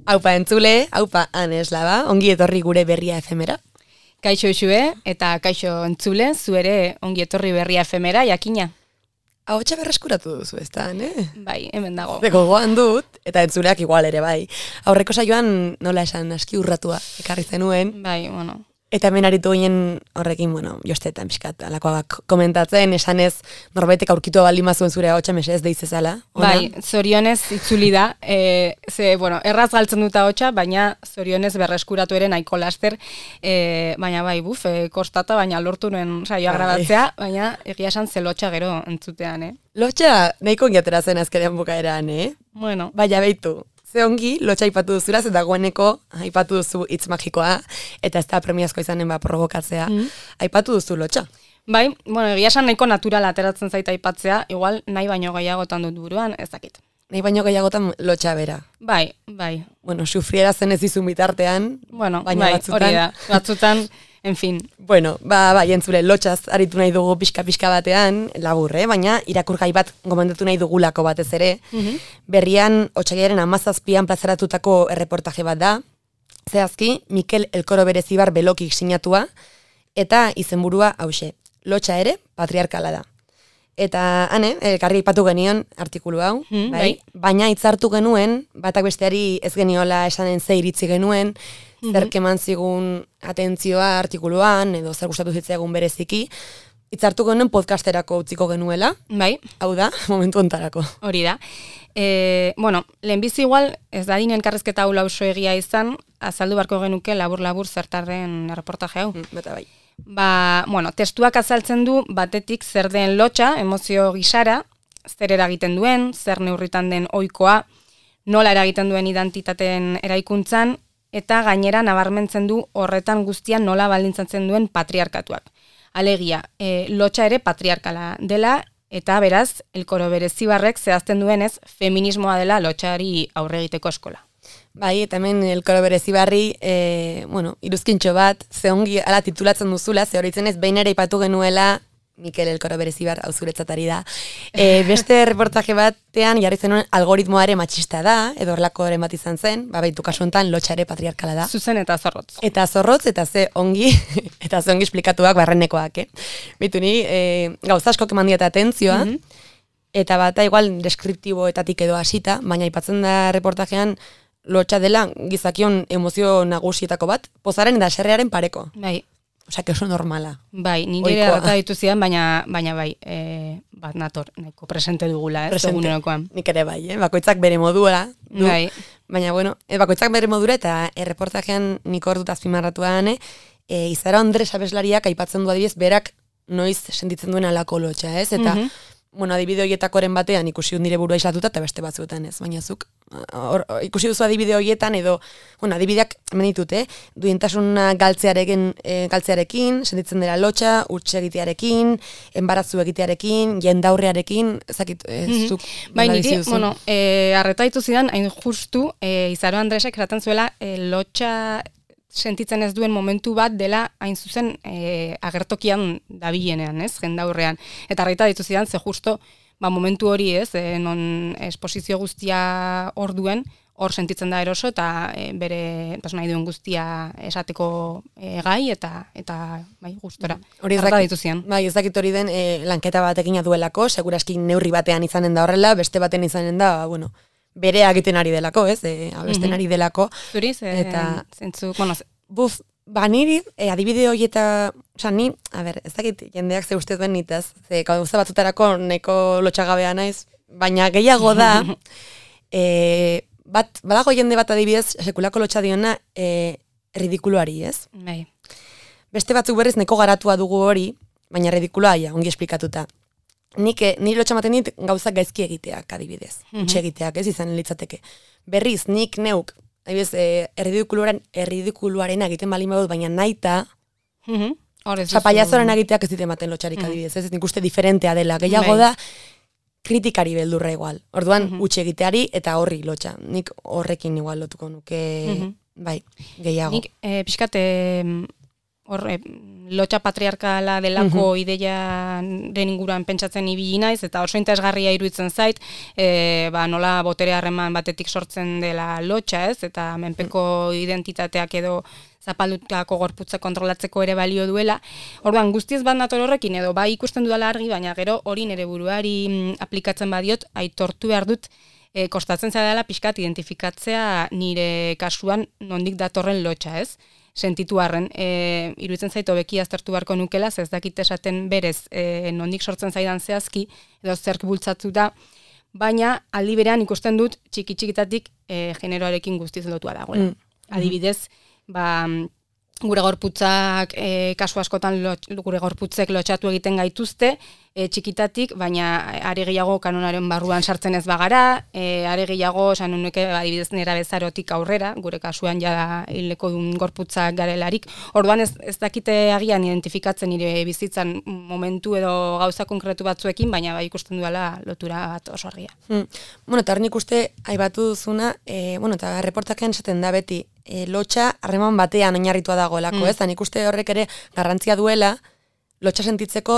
Aupa entzule, aupa aneslaba, ongi etorri gure berria efemera. Kaixo Xue eta kaixo entzule, zu ere ongi etorri berria efemera, jakina. Ahotsa berreskuratu duzu, ez da, ne? Bai, hemen dago. Gogoan dut, eta entzuleak igual ere, bai. Aurreko saioan nola esan aski urratua ekarri zenuen. Bai, bueno. Eta hemen aritu ginen horrekin, jostetan pixkat, alakoak komentatzen, esanez norbaitek aurkitu baldin mazuen zure ahotsa mesez deizezala. Bai, zorionez itzuli da, erraz galtzen dut ahotsa, baina zorionez berreskuratu ere nahiko laster, baina bai, kostata, baina lortu nuen saioa grabatzea, baina egia esan ze lotxa gero entzutean, Lotxa nahiko ongiatera zen azkenean bukaeran, Bueno. Baina beitu. Ze ongi, lotxa aipatu duzula, eta dagoeneko aipatu duzu hitz magikoa, eta ez da premiazko izanen provokatzea. Aipatu duzu lotxa. Bai, egia esan nahiko natural ateratzen zaita aipatzea, igual nahi baino gehiagotan dut buruan, ez dakit. Nahi baino gehiagotan lotxa bera. Bai. Sufriera zen ez dizun bitartean, baina bai, batzutan. Hori da, batzutan, en fin. Bai, entzule, lotxaz aritu nahi dugu pixka batean, labur, baina irakurgai bat gomendatu nahi dugulako batez ere. Berrian, otsailaren 17an plazaratutako erreportaje bat da. Zehazki, Mikel Elkoro Berezibar Belokik sinatua, eta izenburua hause. Lotxa ere, patriarkala da. Eta, elkarri aipatu genion artikulu hau, bai? Baina hitzartu genuen, batak besteari ez geniola esanen ze iritzi genuen, zer keman zigun atentzioa artikuluan, edo zer gustatu zitzaigun bereziki, hitzartu genuen podcasterako utziko genuela, bai. Hau da, momentu ontarako. Hori da. Lehenbizi igual, ez da dinen elkarrezketa hau lauso egia izan, azaldu barko genuke labur-labur zertarren erreportaje hau. Bata bai. Testuak azaltzen du batetik zer den lotxa, emozio gisara, zer eragiten duen, zer neurritan den ohikoa, nola eragiten duen identitateen eraikuntzan, eta gainera nabarmentzen du horretan guztian nola baldintzatzen duen patriarkatuak. Alegia, lotxa ere patriarkala dela, eta beraz, Elkoro Berezibarrek zehazten duenez, feminismoa dela lotxari aurre egiteko eskola. Bai, eta hemen Elkoro Berezibarri, iruzkintxo bat, ze ongi ala titulatzen duzula, ze horitzen ez, behin ere ipatu genuela, Mikel Elkoro Berezibar, hau zuretzatari da. Beste reportaje batean, jarri zenuen algoritmoa ere matxista da, edo horlakoren bat izan zen, baitu kasu honetan lotxa ere patriarkala da. Zuzen eta zorrotz. Eta zorrotz, eta ze ongi esplikatuak barrenekoak, Bitu ni, gauza asko keman dieta atentzioa, eta bata igual deskriptiboetatik edo hasita, baina aipatzen da reportajean, lotxa dela gizakion emozio nagusietako bat, pozaren eta serrearen pareko. Bai. Osea, que oso normala. Bai, nire gata dituzian, baina bai, bat nator, nahiko presente dugula, egunerokoan. Nik ere bai, bakoitzak bere modura. Bai. Baina, bakoitzak bere modura, eta erreportajean nik hor dut azpimarratuan, Izara Andres abeslariak aipatzen du adibidez, berak noiz sentitzen duen alako lotxa, ez? Eta, adibide horietakoren batean ikusi dut nire burua islatuta, eta beste batzuetan ez, baina zuk ikusi duzu adibide horietan, edo, adibideak menitut, duintasuna galtzearekin, sentitzen dela lotxa, huts egitearekin, enbaratzu egitearekin, jendaurrearekin, ezakit, zuk. Bai, niri, arretaitu zidan, hain justu, Izaro Andresek eraten zuela, lotxa sentitzen ez duen momentu bat dela hain zuzen agertokian dabilenean, jendaurrean. Eta arreta ditu zidan, ze justo, momentu hori non esposizio guztia hor duen, hor sentitzen da eroso, eta bere nahi duen guztia esateko gai, eta gustora. Arreta ditu zidan. Bai, ez dakit hori den lanketa batekin duelako, seguraski neurri batean izanen da horrela, beste baten izanen da, bere egiten ari delako, abesten ari delako. Zuriz, zentzu, niri, adibide hori eta, ni, ez dakit jendeak ze ustez duen nitaz, ze gauza batzutarako neko lotxagabea naiz, baina gehiago da, badago jende bat adibidez, sekulako lotxa diona, ridikuluari, ez? Bai. Beste batzuk berriz neko garatua dugu hori, baina ridikuluaia, ongi esplikatuta. Niri lotxamaten dit gauzak gaizki egiteak adibidez, utxe egiteak, ez izan litzateke. Berriz, nik neuk, adibidez, erridikuluaren egiten balin badut, baina naita, paiazoren egiteak ez ditematen lotxarik adibidez, ez nik uste diferentea dela, gehiago da, kritikari beldurra igual. Orduan, utxe egiteari eta horri lotxa. Nik horrekin igual lotuko nuke, bai, gehiago. Nik, pixkat, lotxa patriarkala delako ideiaren inguruan pentsatzen ibili naiz, eta oso interesgarria iruditzen zait, nola botere harreman batetik sortzen dela lotxa, ez? Eta menpeko identitateak edo zapaldutako gorputza kontrolatzeko ere balio duela. Orduan, guztiz bat nator horrekin, edo bai ikusten dudala argi, baina gero hori nire buruari aplikatzen badiot, aitortu behar dut, kostatzen zaidala pixkat identifikatzea nire kasuan nondik datorren lotxa, ez? Sentitu harren, iruditzen zait hobeki aztertu beharko nukela, ez dakit esaten berez nondik sortzen zaidan zehazki, edo zerk bultzatu da, baina aldi berean ikusten dut txiki-txikitatik generoarekin guztiz lotua dagoela. Adibidez, gure gorputzak, kasu askotan gure gorputzek lotxatu egiten gaituzte, txikitatik, baina are gehiago kanonaren barruan sartzen ez bagara, are gehiago, esan nuke, adibidez nera bezarotik aurrera, gure kasuan ja hileko dun gorputzak garelarik. Orduan ez dakite agian identifikatzen nire bizitzan momentu edo gauza konkretu batzuekin, baina bai ikusten duela lotura bat oso argia. Eta hor nik uste, aipatu duzuna, eta reportakean esaten da beti, lotxa harreman batean oinarritua dagoelako, ez? Nik uste horrek ere garrantzia duela, lotxa sentitzeko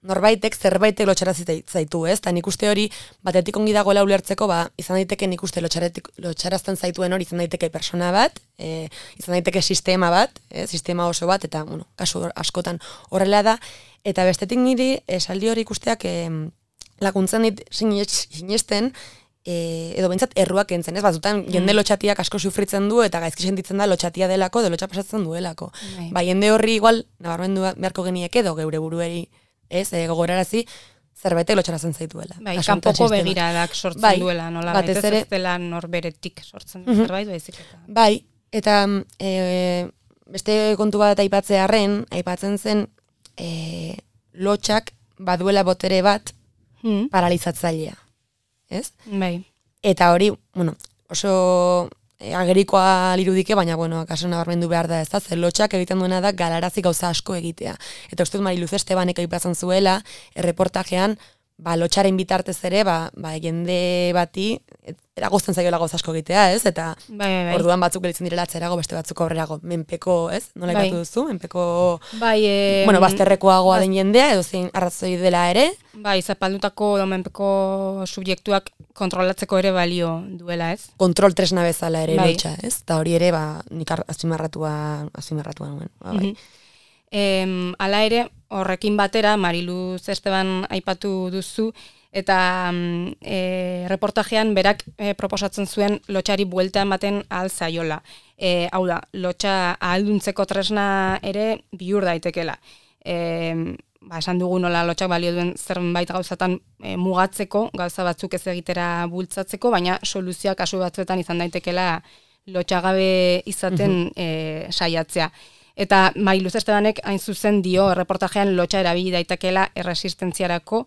norbaitek zerbaitek lotxara zaitu, ez? Eta nik uste hori batetik ongi dagoela ulertzeko, izan daiteke nik uste lotxarazten zaituen hori izan daiteke persona bat, izan daiteke sistema bat, sistema oso bat, eta kasu askotan horrela da, eta bestetik niri esaldi hori ikusteak laguntzen dit sinesten, edo behintzat erruak entzen, ez? Batzutan jende lotxatiak asko sufritzen du eta gaizki sentitzen da lotxatia delako, edo lotxa pasatzen duelako. Jende horri igual, nabarmendu beharko geniek edo geure burueri, ez, gogorarazi, zerbaitek lotxarazen zaituela. Kanpoko begiradak sortzen duela, nola baitez ez dela norberetik sortzen zerbait, baizik eta. Bai, eta beste kontu bat aipatzearren, aipatzen zen lotxak baduela botere bat paralizatzailea. Ez? Bai. Eta hori, oso agerikoa lirudike, baina, kaso nabarmendu behar da ez da, zer lotxak egiten duena da galarazi gauza asko egitea. Eta uste dut Mariluz Estebanek aipatzen zuela, erreportajean, lotxaren bitartez ere, jende bati, eragozten zaiola gauza asko egitea, ez? Eta orduan batzuk gelitzen direla atzerago, beste batzuk aurrerago. Menpeko, ez? Nola ipatu duzu? Menpeko, bazterrekoagoa den jendea, edo zein arrazoi dela ere. Zapaldutako edo menpeko subjektuak kontrolatzeko ere balio duela, ez? Kontrol tresna bezala ere lotxa, ez? Eta hori ere, nik azpimarratua nuen. Hala ere, horrekin batera, Mariluz Esteban aipatu duzu, eta reportajean berak proposatzen zuen lotxari buelta ematen ahal zaiola. Hau da, lotxa ahalduntzeko tresna ere bihur daitekela. Esan dugu nola lotxak balio duen zerbait gauzatan mugatzeko, gauza batzuk ez egitera bultzatzeko, baina soluzioak kasu batzuetan izan daitekela lotxagabe izaten saiatzea. Eta Mariluz Estebanek hain zuzen dio reportajean lotxa erabili daitekela erresistentziarako,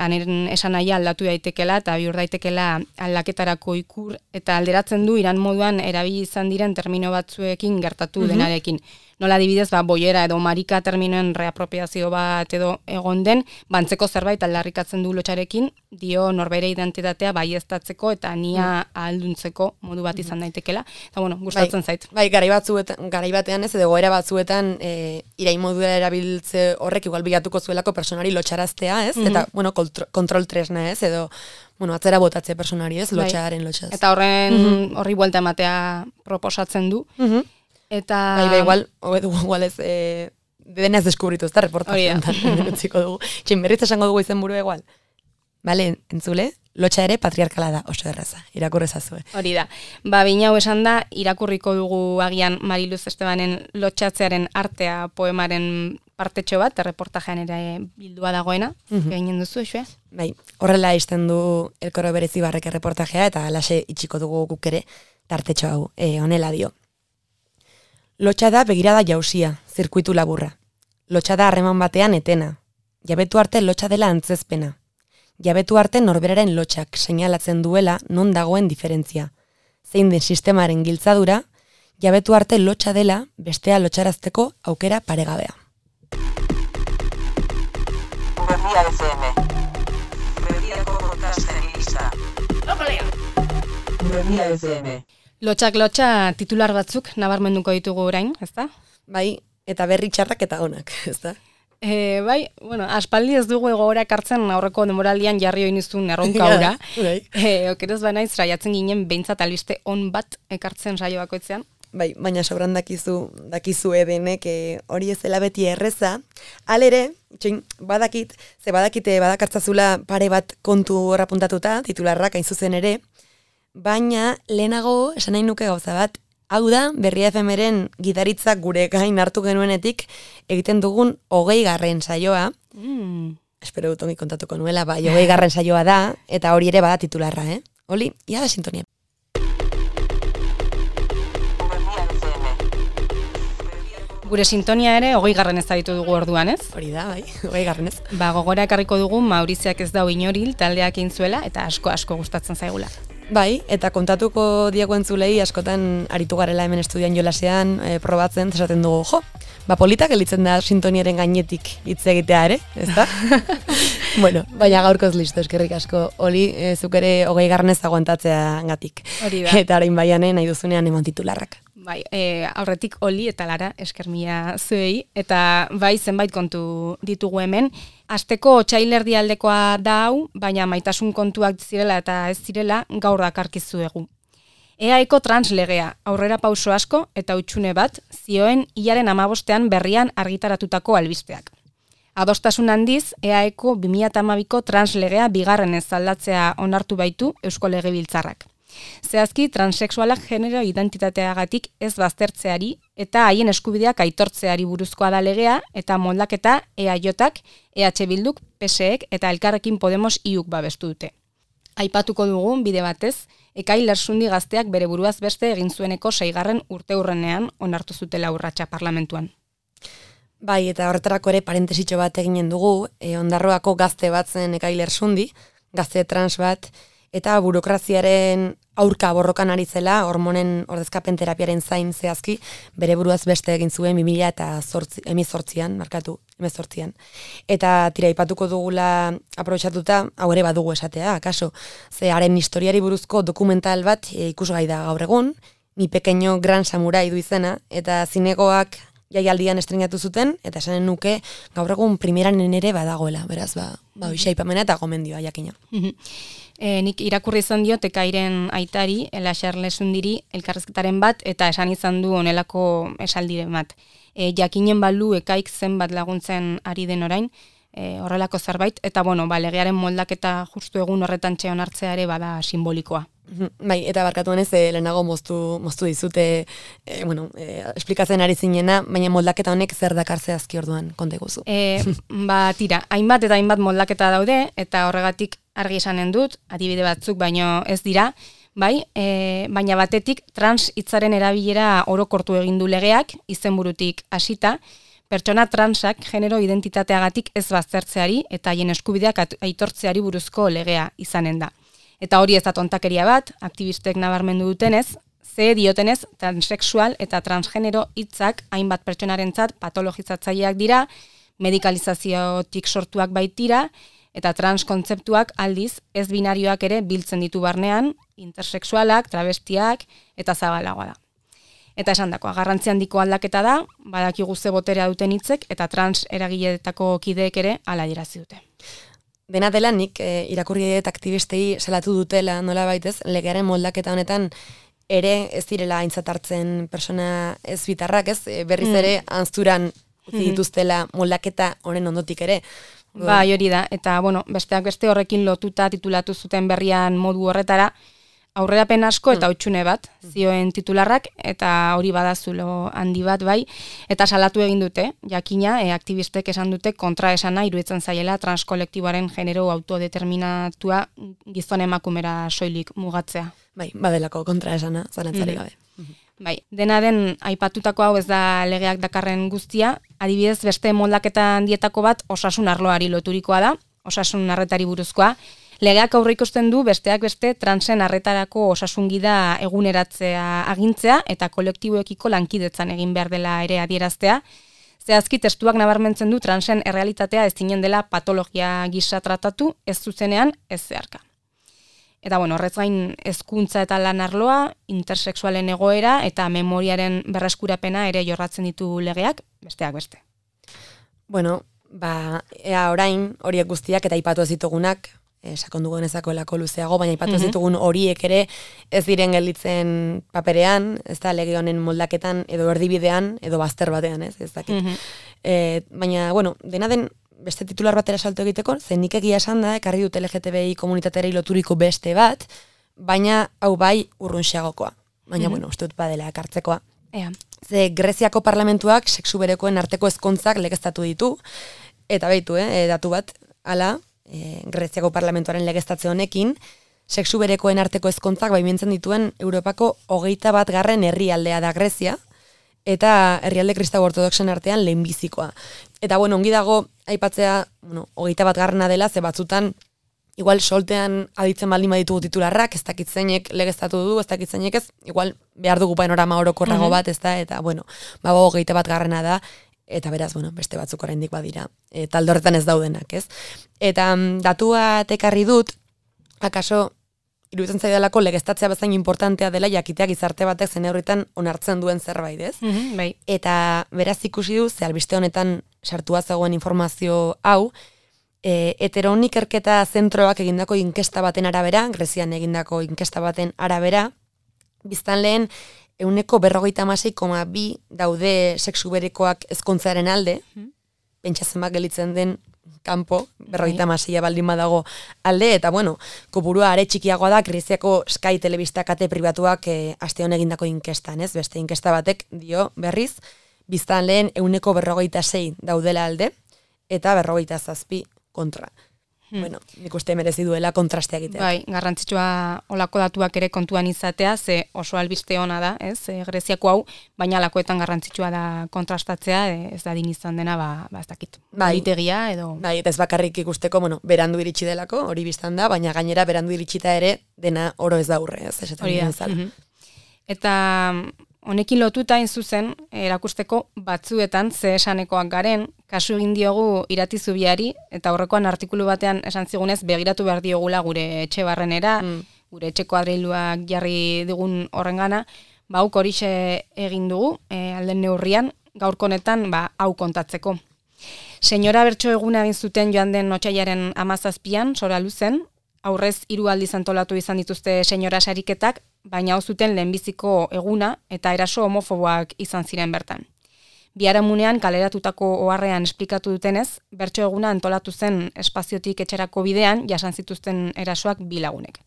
aneren esan nahia aldatu daitekela eta bihur daitekela aldaketarako ikur, eta alderatzen du iran moduan erabili izan diren termino batzuekin gertatu denarekin. Nola adibidez, boiera edo marika terminoen reapropiazio bat edo egon den, bantzeko zerbait aldarrikatzen du lotxarekin, dio norbere identitatea baieztatzeko eta nia ahalduntzeko modu bat izan daitekela. Eta gustatzen zait. Garai batean ez, edo goera batzuetan irain modura erabiltze horrek igual bilatuko zuelako personari lotxaraztea, ez? Eta, kontrol tresna, ez? Edo, atzera botatze personari, ez? Lotxaren lotxaz. Eta horri buelta ematea proposatzen du. Eta... igual ez, denez deskubritu ez da reportajean, utziko dugu. Berriz esango dugu izen buru igual. Bale, entzule, lotxa ere patriarkala da, oso erraza, irakurrezazue. Hori da. Bina hau esan da, irakurriko dugu agian Mariluz Estebanen lotxatzearen artea poemaren partetxo bat, reportajean ere bildua dagoena, gainen duzu, esue? Bai, horrela izten du Elkoro Berezibarrek reportajea, eta alaxe itxiko dugu guk ere tartetxo hau, honela dio. Lotxa da begirada jausia, zirkuitu laburra. Lotxa da harreman batean etena. Jabetu arte lotxa dela antzezpena. Jabetu arte norberaren lotxak seinalatzen duela non dagoen diferentzia. Zein den sistemaren giltzadura, jabetu arte lotxa dela bestea lotxarazteko aukera paregabea. Berria FM. Berriako podcasten lista. Berria FM. Lotxak lotxa titular batzuk nabarmenduko ditugu orain, ezta? Bai, eta berri txarrak eta onak, ezta? Bai, bueno, aspaldi ez dugu egoera ekartzen aurreko denboraldian jarri oinizun erronka hura. Okeroz banaiz, saiatzen ginen behintzat albiste on bat ekartzen saio bakoitzean. Bai, baina sobran dakizu edenek hori ez dela beti erreza. Halere, badakite badakartzazula pare bat kontu horra puntatuta, titularrak hain zuzen ere, baina lehenago esan nahi nuke gauza bat. Hau da, Berria FM-ren gitaritzak gure gain hartu genuenetik egiten dugun 20. saioa. Espero dut ongi kontatuko nuela, bai, 20. saioa da, eta hori ere bada titularra, Oli, ia da sintonia. Gure sintonia ere 20. ez ditu dugu orduan, ez? Hori da, bai, 20. ez. Gogora ekarriko dugu Mauriziak ez dau inoril taldeak intzuela, eta asko gustatzen zaigula. Bai, eta kontatuko diego entzulei askotan aritu garela hemen estudian jolasean, probatzen, esaten dugu, politak elitzen da sintoniaren gainetik hitz egitea ere, ezta? Bueno, baina gaurkoz listo, eskerrik asko, Oli, zuk ere 20. aguantatzea gatik. Hori da. Eta orain baianen nahi duzunean eman titularrak. Bai, aurretik Oli eta Lara eskermia zuei, eta bai zenbait kontu ditugu hemen. Asteko otsailerdi aldekoa da hau, baina maitasun kontuak zirela eta ez zirela gaur dakarkizuegu. EAeko translegea, aurrera pauso asko eta hutsune bat, zioen hilaren 15 berrian argitaratutako albisteak. Adostasun handiz, EAeko 2012ko translegea bigarrenez aldatzea onartu baitu Eusko Legebiltzarrak. Zehazki, transexualak genero identitateagatik ez baztertzeari eta haien eskubideak aitortzeari buruzkoa da legea eta moldaketa EAJak, EH Bilduk, PSEek eta Elkarrekin Podemos IUk babestu dute. Aipatuko dugun bide batez, Ekail Lersundi gazteak bere buruaz beste egin zueneko 6. urteurrenean onartu zutela urratsa parlamentuan. Bai, eta horretarako ere parentesitxo bat eginen dugu, Ondarroako gazte bat zen Ekail Lersundi, gazte trans bat, eta burokraziaren aurka borrokan ari zela, hormonen ordezkapen terapiaren zain zehazki, bere buruaz beste egin zuen 2018an. Eta tira ipatuko dugula aprobetxatuta, hau ere badugu esatea, akaso, ze haren historiari buruzko dokumental bat ikusgai da gaur egun, Mi pequeño gran samurai du izena, eta zinegoak jaialdian estrenatu zuten, eta esanen nuke gaur egun primeranen ere badagoela, beraz, aipamena eta gomendioa jakina. Nik irakurri izan diot Ekairen aitari, Elaxar Lesundiri, elkarrezketaren bat, eta esan izan du honelako esaldiren bat. Jakinen balu Ekaik zenbat laguntzen ari den orain, horrelako zerbait, eta legearen moldaketa justu egun horretan txeon hartzea ere bada simbolikoa. Bai, eta barkatu honez, lehenago moztu dizute, esplikatzen ari zinena, baina moldaketa honek zer dakartzea azki orduan, konta guzu. Tira, hainbat eta hainbat moldaketa daude, eta horregatik argi esanen dut, adibide batzuk baino ez dira, bai, baina batetik trans hitzaren erabilera orokortu egin du legeak, izenburutik hasita, pertsona transak genero identitateagatik ez baztertzeari eta haien eskubideak aitortzeari buruzko legea izanen da. Eta hori ez da tontakeria bat, aktivistek nabarmendu dutenez, ze diotenez transexual eta transgenero hitzak hainbat pertsonarentzat patologizatzaileak dira, medikalizaziotik sortuak baitira, eta trans kontzeptuak aldiz ez binarioak ere biltzen ditu barnean, intersexualak, travestiak eta zabalagoa da. Eta esan dakoa, garrantzi handiko aldaketa da, badakigu ze boterea duten hitzek eta trans eragileetako kideek ere hala adierazi dute. Dena dela nik irakurri eta aktivistei salatu dutela nola baitez, legearen moldaketa honetan ere ez direla aintzat hartzen persona ez bitarrak, ez? Berriz ere anzturan utzi dituztela moldaketa honen ondotik ere. Bai, hori da, eta besteak beste horrekin lotuta titulatu zuten berrian modu horretara, aurrerapen asko eta hutsune bat, zioen titularrak, eta hori badazulo handi bat bai, eta salatu egin dute, jakina, aktivistek esan dute kontraesana iruditzen zaiela transkolektiboaren genero autodeterminatua gizon emakumera soilik mugatzea. Bai, badelako kontraesana, zalantzari gabe. Bai, dena den aipatutako hau ez da legeak dakarren guztia, adibidez beste moldaketa handietako bat osasun arloari loturikoa da, osasun arretari buruzkoa. Legeak aurreikusten du besteak beste transen arretarako osasungida eguneratzea agintzea eta kolektiboekiko lankidetzan egin behar dela ere adieraztea. Zehazki testuak nabarmentzen du transen errealitatea ez zinen dela patologia gisa tratatu, ez zuzenean, ez zeharka. Eta horrez gain hezkuntza eta lan arloa, intersexualen egoera eta memoriaren berreskurapena ere jorratzen ditu legeak, besteak beste. Bueno, ea orain horiek guztiak eta aipatu ez ditugunak, sakondu genezakoelako luzeago, baina aipatu ez ditugun horiek ere ez diren gelditzen paperean, ez da lege honen moldaketan edo erdibidean edo bazter batean, ez dakit. Baina, bueno, dena den beste titular batera salto egiteko, zen nik egia esan da, ekarri dut LGTBI komunitaterei loturiko beste bat, baina hau bai urrunxeagokoa. Baina, bueno, uste dut badela ekartzekoa. Ze Greziako parlamentuak sexu berekoen arteko ezkontzak legeztatu ditu, eta behitu, datu bat, hala, Greziako parlamentuaren legeztatze honekin, sexu berekoen arteko ezkontzak baimentzen dituen Europako 21. herrialdea da Grezia, eta herrialde kristau ortodoxen artean lehenbizikoa. Eta, bueno, ongi dago, aipatzea, 21. dela, ze batzutan, igual soltean aditzen baldin baditugu titularrak, ez dakit zeinek legeztatu du, ez dakit zeinek ez, igual behar dugu panorama orokorrago bat, ez da, eta, bueno, 21. da, eta beraz, bueno, beste batzuk oraindik badira, talde horretan ez daudenak, ez? Eta datua ekarri dut, akaso, iruditzen zaidalako legeztatzea bezain importantea dela jakitea gizarte batek zen horretan onartzen duen zerbait, ez? Bai. Eta beraz ikusi du, ze albiste honetan sartua zegoen informazio hau, heteron ikerketa zentroak egindako inkesta baten arabera, Grezian egindako inkesta baten arabera, biztanleen 46,2 daude sexu berekoak ezkontzaren alde, pentsatzen bat gelitzen den kanpo, 56 baldin badago alde, eta bueno, kopurua are txikiagoa da Greziako Sky telebista kate pribatuak aste honen egindako inkestan, ez? Beste inkesta batek dio berriz, biztanleen 46 daudela alde, eta 47 kontra. Bueno, nik uste merezi duela kontrastea egitea. Bai, garrantzitsua olako datuak ere kontuan izatea, ze oso albiste ona da, ez? Greziako hau, baina alakoetan garrantzitsua da kontrastatzea, ez da din izan dena, ez dakit. Politegia edo... Bai, eta ez bakarrik ikusteko, bueno, berandu iritsi delako, hori biztan da, baina gainera berandu iritsita ere dena oro ez daurre, ez? Hori da. Eta honekin lotuta hain zuzen, erakusteko batzuetan ze esanekoak garen, kasu egin diogu Iratizubiari, eta horrekoan artikulu batean esan zigunez, begiratu behar diogula gure etxe barrenera, gure etxeko adreiluak jarri digun horrengana, hauk horixe egin dugu, alden neurrian, gaurko honetan, hau kontatzeko. Senyora Bertso eguna egin zuten joan den otsailaren 17an, Sora Luzen, aurrez 3 aldiz antolatu izan dituzte senyora sariketak, baina hau zuten lehenbiziko eguna eta eraso homofoboak izan ziren bertan. Biharamunean kaleratutako oharrean esplikatu dutenez, Bertso eguna antolatu zen espaziotik etxerako bidean jasan zituzten erasoak 2 lagunek.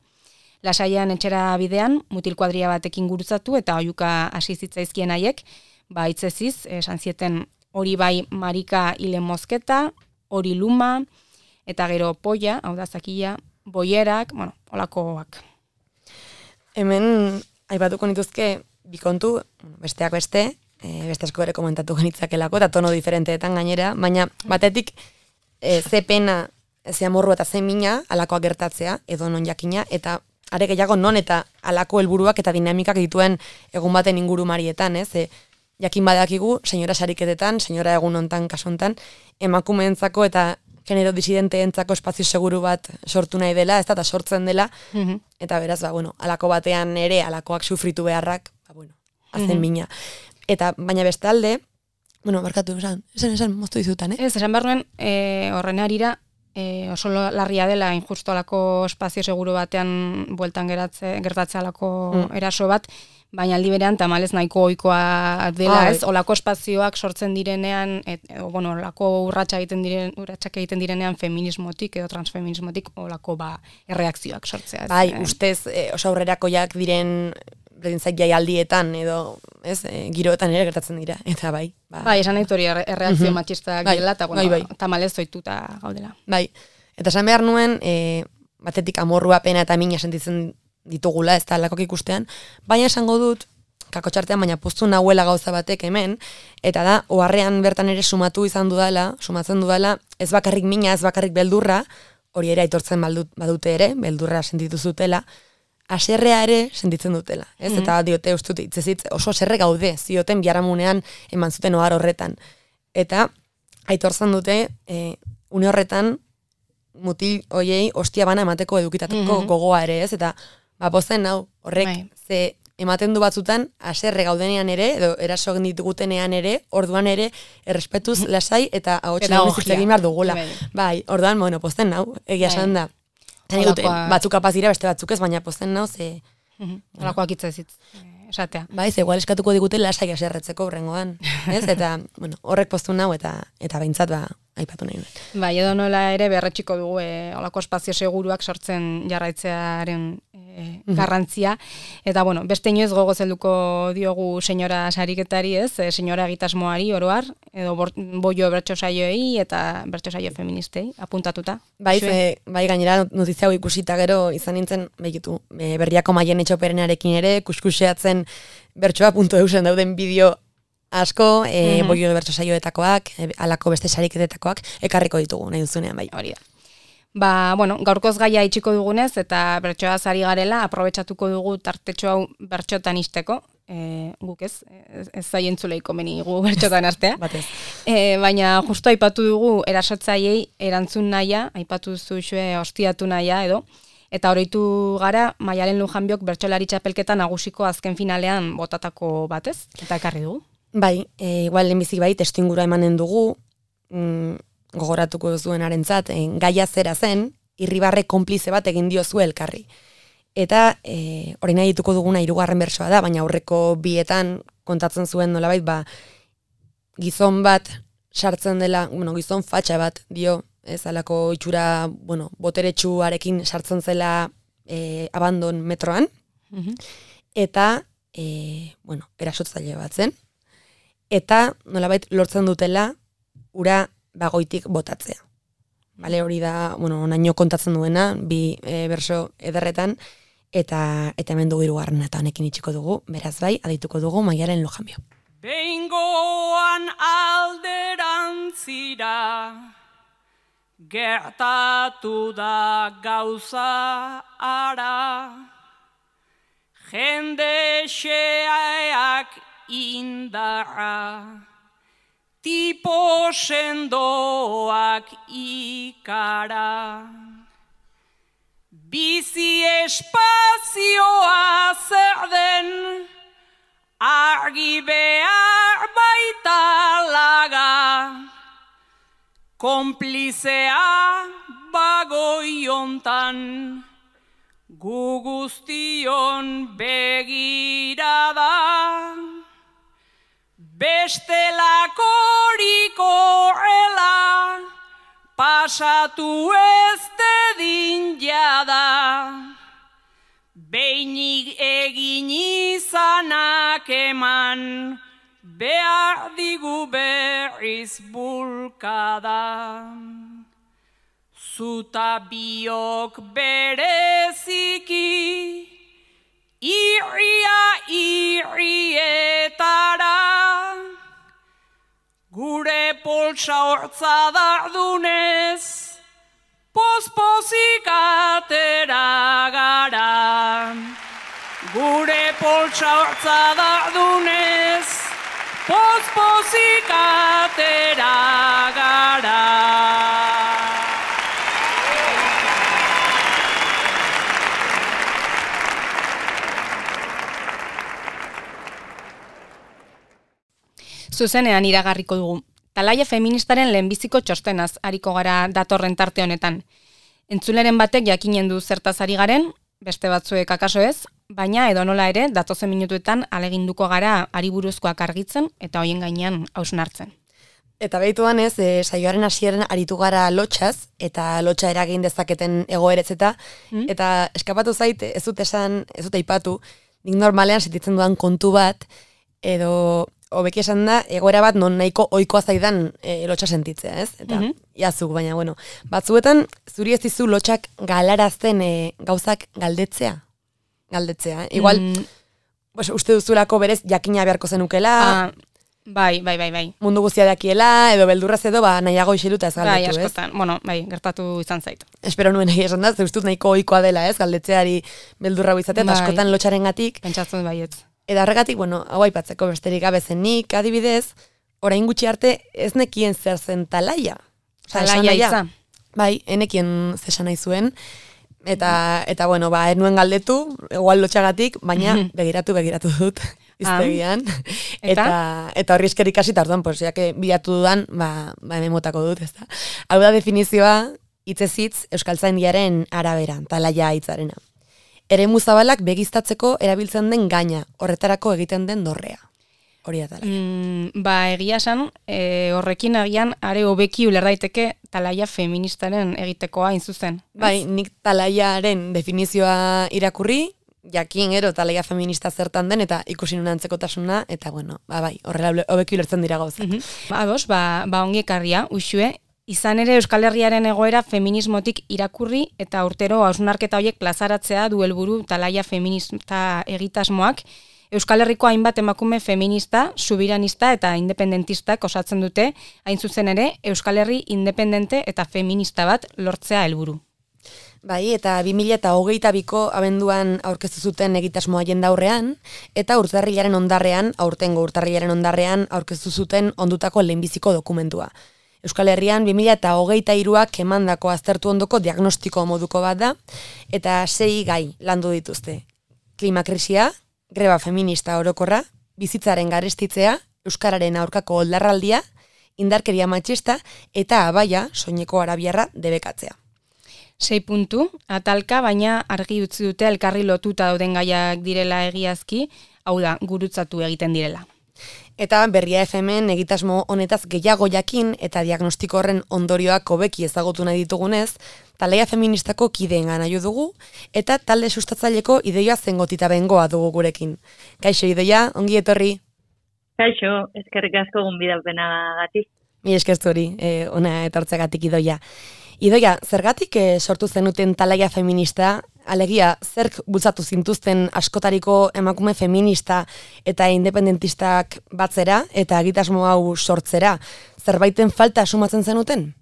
Lasaian etxera bidean, mutil kuadria batekin gurutzatu eta oihuka hasi zitzaizkien haiek, hitzeziz, esan zieten hori bai Marika hile mozketa, hori luma, eta gero polla, hau da zakia, boierak, bueno, olakoak. Hemen, aipatuko nituzke, bikontu, besteak beste, beste asko ere komentatu genitzakelako, eta tono diferenteetan gainera, baina batetik ze pena, ze amorru eta ze mina alakoak gertatzea, edo non jakina, eta are gehiago non eta alako helburuak eta dinamikak dituen egun baten inguru marietan, ez? Jakin badakigu, senyora sariketetan, senyora egun hontan kasontan, emakumeentzako eta genero disidenteentzako espazio seguru bat sortu nahi dela, ez da, eta sortzen dela, eta beraz, alako batean ere, alakoak sufritu beharrak, azen mina. Eta, baina bestalde, barkatu, esan, moztu dizutan, Ez, esan behar nuen, horren harira, oso larria dela, injusto alako espazio seguru batean bueltan gertatzea alako eraso bat, baina aldi berean tamalez nahiko ohikoa dela, ez? Olako espazioak sortzen direnean, olako urratsak egiten direnean feminismotik edo transfeminismotik olako erreakzioak sortzea. Bai, ustez oso aurrerakoiak diren berdintzak jaialdietan edo, ez, giroetan ere gertatzen dira, eta bai. Bai, esan nahi hori erreakzio matxistak dela, eta tamalez zoituta gaudela. Bai, eta esan behar nuen, batetik amorrua, pena eta mina sentitzen ditugula, ez da alakok ikustean, baina esango dut, kakotxartean, baina poztu nahuela gauza batek hemen, eta da, oharrean bertan ere sumatzen dudala, ez bakarrik mina, ez bakarrik beldurra, hori ere aitortzen badute ere, beldurra sentitu zutela, aserrea ere sentitzen dutela, ez? Eta diote ustut itzezitz oso aserre gaude, zioten biharamunean eman zuten ohar horretan. Eta aitortzen dute, une horretan, mutil hoiei ostia bana emateko edukitateko gogoa ere, ez? Eta pozen hau horrek ze ematen du batzutan, haserre gaudenean ere, edo eraso egin ditugutenean ere, orduan ere, errespetuz lasai eta ahotsen egin behar dugula. Bai, orduan, bueno, posten nau, egia esan da. Batzuk kapaz dira, beste batzuk ez, baina posten nau, ze... Holakoak itzazitz, esatea. Bai, ze igual eskatuko digute lasai haserretzeko horrengoan, ez? Eta, bueno, horrek postu nau, eta behintzat, aipatu nahi dut. Bai, edo nola ere berretxiko dugu holako espazio seguruak sortzen jarraitzearen garrantzia. Eta, bueno, beste inoiz gogoz helduko diogu senyora sariketari, ez? Senyora egitasmoari oroar, edo boio bertso saioei eta bertso saio feministei apuntatuta. Bai, bai gainera notizia hau ikusita gero izan nintzen, behitu, Berriako Maien Etxoperenarekin ere, kuskuseatzen bertsoa.eusen dauden bideo asko, boio bertso saioetakoak, alako beste sariketetakoak, ekarriko ditugu, nahi duzunean, bai. Hori da. Ba, bueno, gaurkoz gaia itxiko dugunez, eta bertsoa ari garela, aprobetxatuko dugu tartetxo hau bertxotan isteko, guk ez zaientzuleiko meni gu bertxotan astea. Batez. Baina justu aipatu dugu erasotzaiei erantzun nahia, aipatu zuzue hostiatu nahia edo, eta oroitu gara Maialen Lujanbiok bertsolari txapelketa nagusiko azken finalean botatako batez, eta ekarri dugu. Bai, igual lehenbizik bai, testuingurua emanen dugu, gogoratuko zuenarentzat, gaia zera zen, irribarre konplize bat egin diozu elkarri. Eta hori nahi dituko duguna 3. bertsoa da, baina aurreko bietan kontatzen zuen nolabait, gizon bat sartzen dela, gizon fatxa bat dio, ez alako itxura, boteretsuarekin sartzen zela abandon metroan, eta, erasotzaile bat zen, eta nolabait lortzen dutela ura bagoitik botatzea. Bale, hori da, onaino kontatzen duena, 2 berso ederretan, eta hemen dugu 3. eta honekin itxiko dugu, beraz bai, adituko dugu Maialen Lujanbio. Behingoan alderantzira, gertatu da gauza ara, jende xeak indarra, tipo sendoak ikara. Bizi espazioa zer den, argi behar baita laga, konplizea bagoiontan, gu guztion begirada. Bestelakorik horrela, pasatu ez dedin jada, beinik egin izanak eman, behar digu berriz bulkada. Zuta biok bereziki, irria irrietara, gure poltsa hortza dardunez, pospozik atera gara. Gure poltsa hortza dardunez, pospozik atera gara. Zuzenean iragarriko dugu. Talaia feministaren lehenbiziko txostenaz ariko gara datorren tarte honetan. Entzuleren batek jakinen du zertaz ari garen, beste batzuek akaso ez, baina edonola ere datozen minutuetan aleginduko gara ari buruzkoak argitzen eta hoien gainean hausnartzen. Eta behituan ez, saioaren hasieran aritu gara lotxaz, eta lotxa eragin dezaketen egoeretzeta, eta eskapatu zait, ez dut aipatu, nik normalean sentitzen dudan kontu bat, edo hobeki esan da, egoera bat non nahiko ohikoa zaidan lotxa sentitzea, ez? Eta iazuk, baina, batzuetan zuri ez dizu lotxak galarazten gauzak galdetzea. Igual, uste duzulako berez jakina beharko zenukela. Bai. Mundu guztia dakiela, edo beldurraz edo, nahiago isiluta ez galdetu, ez? Bai, askotan, gertatu izan zait. Espero nuen egia esan da, ustut nahiko ohikoa dela, ez? Galdetzeari beldurra izatea, eta askotan lotxaren gatik. Pentsatzen baietz. Eta horregatik, hau aipatzeko besterik gabezenik, adibidez, orain gutxi arte ez nekien zer zen talaia. Talaia itza. Bai, enekien zesan nahi zuen. Eta bueno, ez nuen galdetu, igual lotxagatik, baina begiratu dut iztegian. Eta horri esker ikasi, eta orduan, pues, jake bilatu dudan, hemen motako dut, ez da. Hau da definizioa, hitzez hitz, euskaltzaindiaren arabera, talaia hitzarena. Eremu zabalak begiztatzeko erabiltzen den gaina, horretarako egiten den dorrea. Hori da talaia. Egia esan, horrekin agian are hobeki uler daiteke talaia feministaren egitekoa hain zuzen. Bai, nik talaiaren definizioa irakurri, jakin gero talaia feminista zertan den, eta ikusi nuen antzekotasuna, eta bueno, horrela hobeki ulertzen dira gauzak. Ados, ongi ekarria, Uxue, izan ere Euskal Herriaren egoera feminismotik irakurri, eta urtero hausnarketa horiek plazaratzea du helburu talaia feminista egitasmoak, Euskal Herriko hainbat emakume feminista, subiranista eta independentistak osatzen dute, hain zuzen ere, Euskal Herri independente eta feminista bat lortzea helburu. Bai, eta 2022ko abenduan aurkeztu zuten egitasmoa jendaurrean, eta aurtengo urtarrilaren ondarrean aurkeztu zuten ondutako lehenbiziko dokumentua. Euskal Herrian 2023ak emandako aztertu ondoko diagnostiko moduko bat da, eta 6 gai landu dituzte. Klimakrisia, greba feminista orokorra, bizitzaren garestitzea, euskararen aurkako oldarraldia, indarkeria matxista eta abaia soineko arabiarra debekatzea. 6 puntu, atalka, baina argi utzi dute elkarri lotuta dauden gaiak direla egiazki, hau da, gurutzatu egiten direla. Eta Berria FM-en egitasmo honetaz gehiago jakin eta diagnostiko horren ondorioak hobeki ezagutu nahi ditugunez, talaia feministako kideengan jo dugu, eta talde sustatzaileko Idoia Zengotita bengoa dugu gurekin. Kaixo Idoia, ongi etorri? Kaixo, eskerrik asko gonbidapenagatik. Mi eskertu hori, ona etortzeagatik Idoia. Idoia, zergatik sortu zenuten talaia feminista, alegia, zerk bultzatu zintuzten askotariko emakume feminista eta independentistak batzera eta egitasmo hau sortzera? Zerbaiten falta sumatzen zenuten?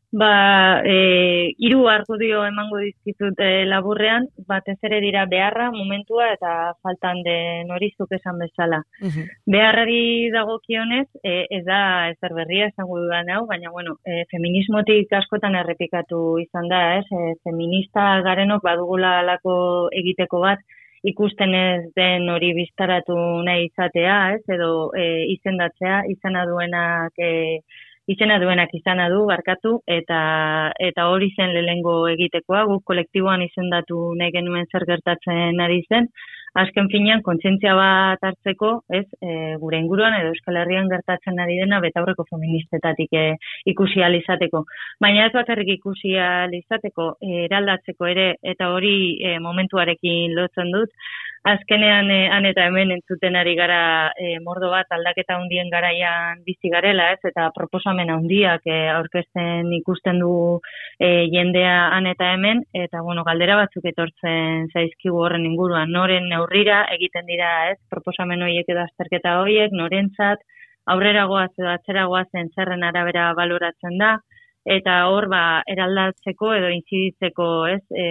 3 argudio emango dizkizut laburrean, batez ere dira beharra, momentua eta faltan den hori zuk esan bezala. Beharrari dagokionez, ez da ezer berria esango dudan hau, baina feminismotik askotan errepikatu izan da, feminista garenok badugula alako egiteko bat, ikusten ez den hori biztaratu nahi izatea, edo izendatzea, izena duenak izana du, barkatu, eta hori zen lehengo egitekoa, guk kolektiboan izendatu nahi genuen zer gertatzen ari zen, azken finean kontzientzia bat hartzeko, gure inguruan edo Euskal Herrian gertatzen ari dena betaurreko feministetatik ikusi ahal izateko. Baina ez bakarrik ikusi ahal izateko, eraldatzeko ere, eta hori momentuarekin lotzen dut, azkenean han eta hemen entzuten ari gara mordo bat aldaketa handien garaian bizi garela, eta proposamen handiak aurkezten ikusten du jendea han eta hemen, eta galdera batzuk etortzen zaizkigu horren inguruan, noren neurrira egiten dira, proposamen horiek edo azterketa horiek, norentzat aurrera goaz edo atzera goazen zerren arabera baloratzen da, eta hor eraldatzeko edo inziditzeko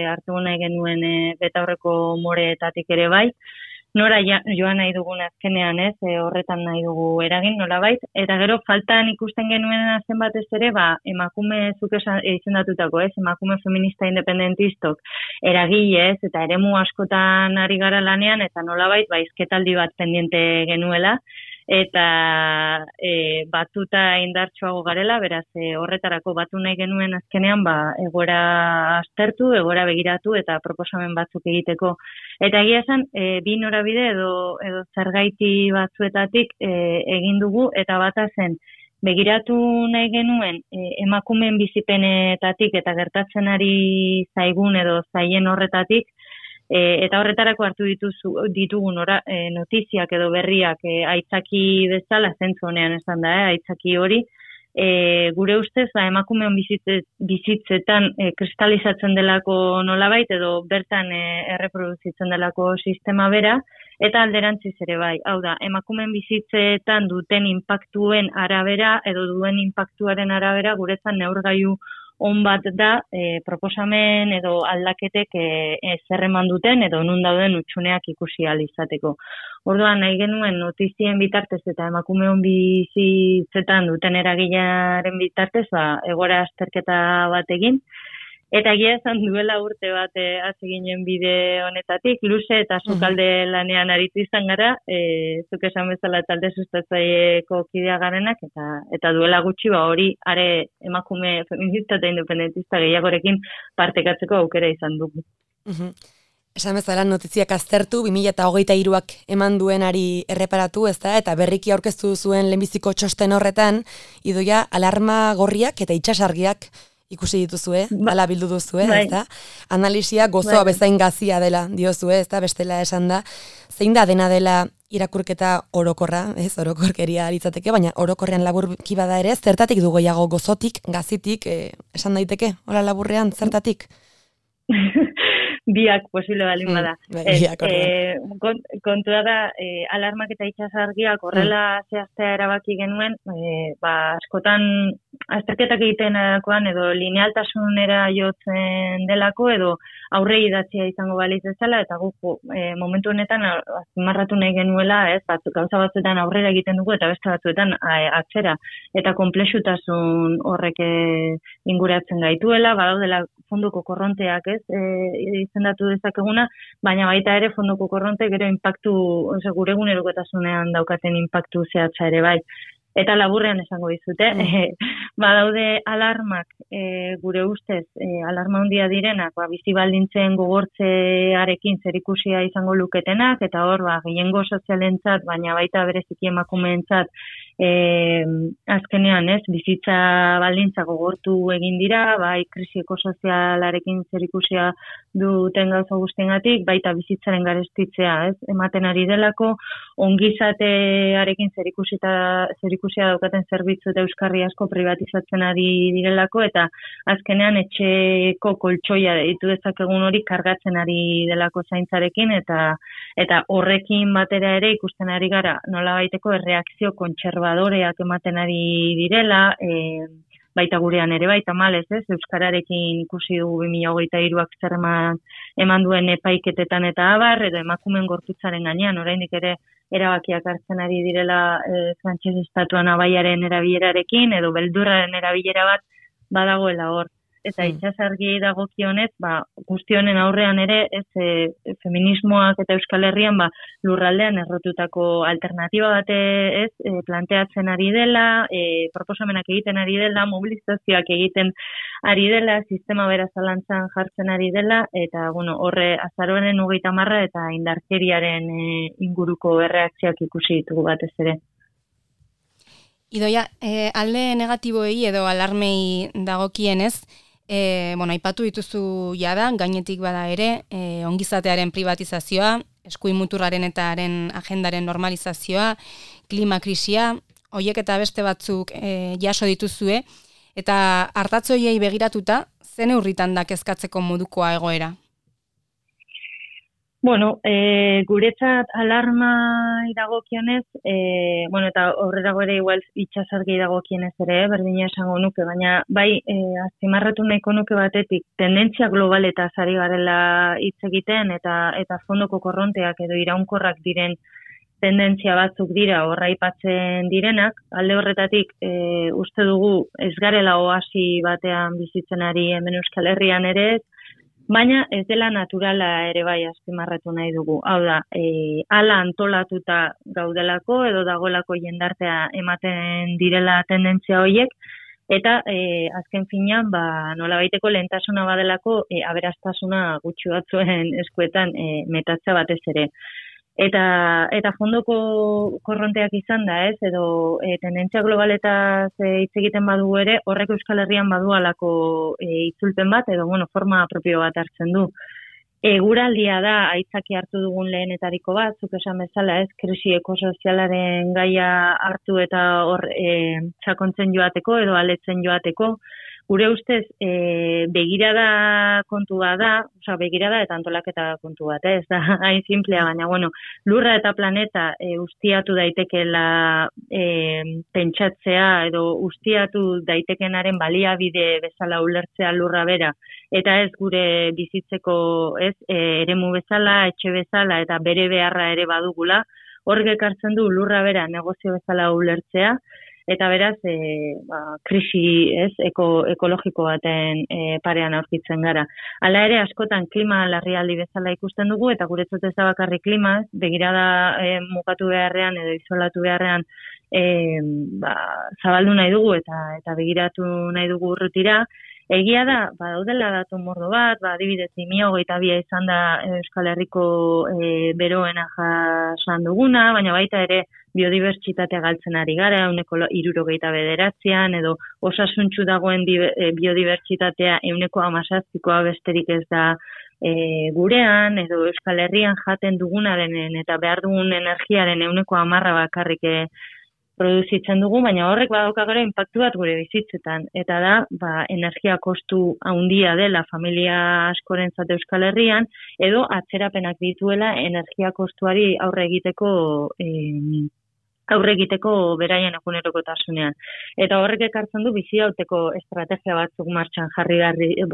hartu nahi genuen betaurreko moreetatik ere bai, nora joan nahi dugun azkenean horretan nahi dugu eragin nolabait, eta gero faltan ikusten genuen zen batez ere, emakume zuk izendatutako, emakume feminista independentistok eragile eta eremu askotan ari gara lanean, eta nolabait hizketaldi bat pendiente genuela, eta batuta indartsuago garela, beraz horretarako batu nahi genuen azkenean egoera aztertu, egoera begiratu eta proposamen batzuk egiteko. Eta egia esan, bi norabide edo zergaiti batzuetatik egin dugu, eta bata zen begiratu nahi genuen emakumeen bizipenetatik eta gertatzen ari zaigun edo zaien horretatik, eta horretarako hartu ditugu notiziak edo berriak aitzaki bezala, zentzu honean esan da, aitzaki hori, gure ustez emakumeon bizitzetan kristalizatzen delako nolabait edo bertan erreproduzitzen delako sistema bera, eta alderantziz ere bai. Hau da, emakumeen bizitzetan duten inpaktuen arabera edo duen inpaktuaren arabera guretzan neurgailu on bat da proposamen edo aldaketek zer eman duten edo nun dauden hutsuneak ikusi ahal izateko. Orduan nahi genuen notizien bitartez eta emakumeon bizitzetan duten eragilearen bitartez egoera azterketa bat egin, Eta egia esan duela urte bat hasi ginen bide honetatik, luze eta sukalde lanean aritu izan gara, zuk esan bezala talde sustatzaileeko kidea garenak, eta duela gutxi hori are emakume feminista eta independentista gehiagorekin partekatzeko aukera izan dugu. Esan bezala notiziak aztertu, 2023ak eman duenari erreparatu, ezta, eta berriki aurkeztu zuen lehenbiziko txosten horretan, Idoia alarma gorriak eta itsasargiak ikusi dituzue, hala bildu duzue, ezta? Analisia gozoa bezain gazia dela diozue, ezta? Bestela esan da. Zein da dena dela irakurketa orokorra, ez? Orokorkeria litzateke, baina orokorrean laburki bada ere, zertatik du gehiago gozotik, gazitik, esan daiteke? Hola laburrean, zertatik? Biak posible balin bada. Biak, kontua da, alarmak eta itsasargiak horrela zehaztea erabaki genuen, askotan azterketak egitenakoan edo linealtasunera jotzen delako edo aurre idatzia izango balitz bezala, eta guk momentu honetan azpimarratu nahi genuela, gauza batzuetan aurrera egiten dugu eta beste batzuetan atzera, eta konplexutasun horrek inguratzen gaituela, badaudela fonduko korronteak, izendatu dezakeguna, baina baita ere fonduko korronte gero inpaktu, gure egunerokotasunean daukaten inpaktu zehatza ere bai. Eta laburrean esango dizute, badaude alarmak, gure ustez, alarma handia direnak, bizi baldintzen gogortzearekin zerikusia izango luketenak, eta hor, gehiengo sozialentzat, baina baita bereziki emakumeentzat, azkenean, bizitza baldintza gogortu egin dira, bai krisi ekosozialarekin zerikusia duten gauza guztiengatik, baita bizitzaren garestitzea, ematen ari delako, ongizatearekin zerikusia daukaten zerbitzu eta euskarri asko privatizatzen ari direlako, eta azkenean etxeko koltsoia ditu dezakegun hori kargatzen ari delako zaintzarekin, eta horrekin batera ere ikusten ari gara nolabaiteko erreakzio kontserbadoreak ematen ari direla, baita gurean ere baita malez, euskararekin ikusi dugu 2023ak zer eman duen epaiketetan eta abar, edo emakumeen gorputzaren gainean, oraindik ere erabakiak hartzen ari direla frantses estatuan abaiaren erabilerarekin, edo beldurraren erabilera bat badagoela hor. Eta itsasargi dagokionez, guztionen aurrean ere, feminismoak eta Euskal Herrian lurraldean errotutako alternatiba bat planteatzen ari dela, proposamenak egiten ari dela, mobilizazioak egiten ari dela, sistema bera zalantzan jartzen ari dela, eta horre azaroaren 30 eta indarkeriaren inguruko erreakzioak ikusi ditugu batez ere. Idoia, alde negatiboei edo alarmei dagokienez, aipatu dituzu jada, gainetik bada ere, ongizatearen privatizazioa, eskuin muturraren eta haren agendaren normalizazioa, klimakrisia, hoiek eta beste batzuk jaso dituzue, eta ardatzoiei begiratuta, zen neurritan da kezkatzeko modukoa egoera? Guretzat alarma dagokionez, eta horrerago ere igual itsasargi dagokienez ere, berdina esango nuke, baina bai azpimarratu nahiko nuke batetik, tendentzia globaletaz ari garela hitz egiten, eta fondoko korronteak edo iraunkorrak diren tendentzia batzuk dira horraipatzen direnak, alde horretatik uste dugu ez garela oasi batean bizitzen ari hemen Euskal Herrian ere, baina ez dela naturala ere bai azpimarratu nahi dugu. Hau da, hala antolatuta gaudelako edo dagoelako jendartea ematen direla tendentzia horiek, eta azken finean nolabaiteko lehentasuna badelako aberastasuna gutxi batzuen eskuetan metatzea batez ere. Eta fondoko korronteak izan da, edo tendentzia globaletaz hitz egiten badugu ere, horrek Euskal Herrian badu alako itzulpen bat, edo forma propio bat hartzen du. Eguraldia da aitzaki hartu dugun lehenetariko bat, zuk esan bezala, krisi ekosozialaren gaia hartu eta hor sakontzen joateko edo aletzen joateko. Gure ustez, begirada kontua da, begirada eta antolaketa kontu bat, ez da hain simplea, baina, lurra eta planeta ustiatu daitekeela pentsatzea edo ustiatu daitekenaren baliabide bezala ulertzea lurra bera, eta ez gure bizitzeko eremu bezala, etxe bezala eta bere beharra ere badugula, horrek ekartzen du lurra bera negozio bezala ulertzea, eta beraz, krisi ekologiko baten parean aurkitzen gara. Hala ere, askotan klima larrialdi bezala ikusten dugu, eta guretzat ez da bakarrik klima, begirada mugatu beharrean edo isolatu beharrean zabaldu nahi dugu eta begiratu nahi dugu urrutira. Egia da, daudela datu mordo bat, adibidez 2022 izan da Euskal Herriko beroena jasan duguna, baina baita ere biodibertsitatea galtzen ari gara, 69%, edo osasuntsu dagoen biodibertsitatea 17%koa besterik ez da gurean, edo Euskal Herrian jaten dugunaren eta behar dugun energiaren 10% bakarrik produzitzen dugu, baina horrek badauka gero inpaktu bat gure bizitzetan, eta da, energia kostu handia dela familia askorentzat Euskal Herrian, edo atzerapenak dituela energia kostuari aurre egiteko beraien egunerokotasunean. Eta horrek ekartzen du bizirauteko estrategia batzuk martxan jarri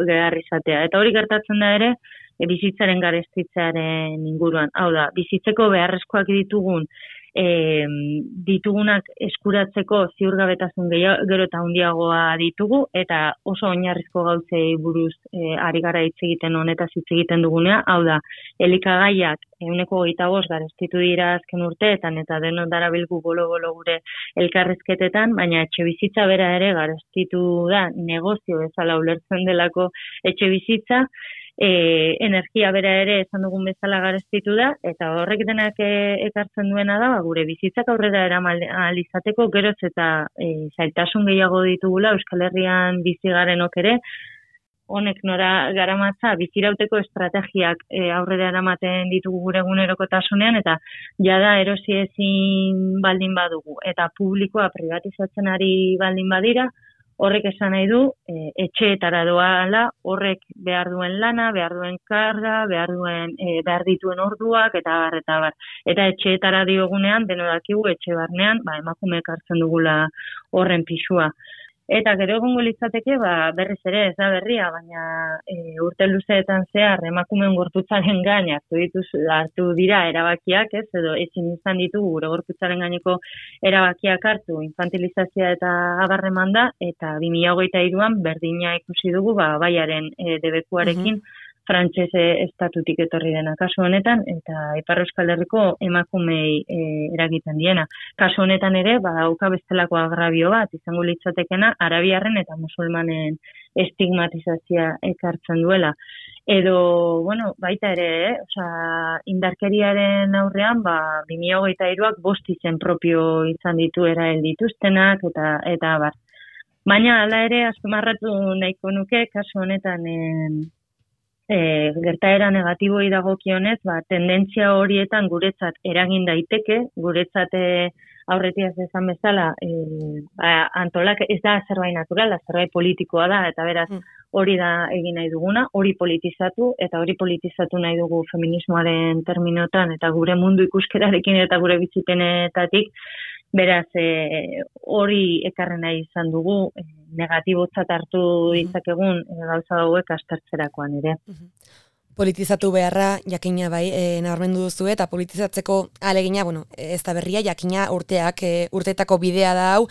behar izatea. Eta hori gertatzen da ere, bizitzaren garestitzearen inguruan. Hau da, bizitzeko beharrezkoak ditugunak eskuratzeko ziurgabetasun gero eta handiagoa ditugu, eta oso oinarrizko gauzei buruz ari gara hitz egiten honetaz hitz egiten dugunea, hau da, elikagaiak 25% garestitu dira azken urteetan, eta denok darabilgu bolo-bolo gure elkarrizketetan, baina etxe bizitza bera ere garestitu da, negozio bezala ulertzen delako etxe bizitza, energia bera ere esan dugun bezala garestitu da, eta horrek denak ekartzen duena da, gure bizitzak aurrera eraman ahal izateko geroz eta zailtasun gehiago ditugula Euskal Herrian bizi garenok ere, honek nora garamatza bizirauteko estrategiak aurrera eramaten ditugu gure egunerokotasunean, eta jada erosi ezin baldin badugu, eta publikoa privatizatzen ari baldin badira, horrek esan nahi du, etxeetara doala, horrek behar duen lana, behar duen karga, behar dituen orduak, eta bar. Eta etxeetara diogunean, denodakigu etxe barnean, emakumeek hartzen dugula horren pisua. Eta gero egongo litzateke, berriz ere ez da berria, baina urte luzeetan zehar emakumeen gorputzaren gain hartu dira erabakiak, edo ezin izan ditugu gure gorputzaren gaineko erabakiak hartu, infantilizazioa eta abarreman da, eta 2023an berdina ikusi dugu baiaren debekuarekin, frantses estatutik etorri dena kasu honetan, eta Ipar Euskal Herriko emakumei eragiten diena. Kasu honetan ere, dauka bestelako agrabio bat, izango litzatekena, arabiarren eta musulmanen estigmatizazioa ekartzen duela. Edo, baita ere, indarkeriaren aurrean, 2023ak 5 izen propio izan ditu erail dituztenak, eta bar. Baina, hala ere, azpimarratu nahiko nuke, kasu honetan, gertaera negatiboi dagokionez, tendentzia horietan guretzat eragin daiteke, guretzat aurretiaz esan bezala, antolak ez da zerbait naturala, zerbait politikoa da, eta beraz hori da egin nahi duguna, hori politizatu, eta hori politizatu nahi dugu feminismoaren terminotan, eta gure mundu ikuskerarekin eta gure bizipenetatik, beraz, hori ekarren nahi izan dugu, negatibotzat hartu ditzakegun gauza hauek aztertzerakoan ere. Politizatu beharra, jakina nabarmendu duzu, eta politizatzeko alegina, ez da berria, jakina urteetako bidea da hau,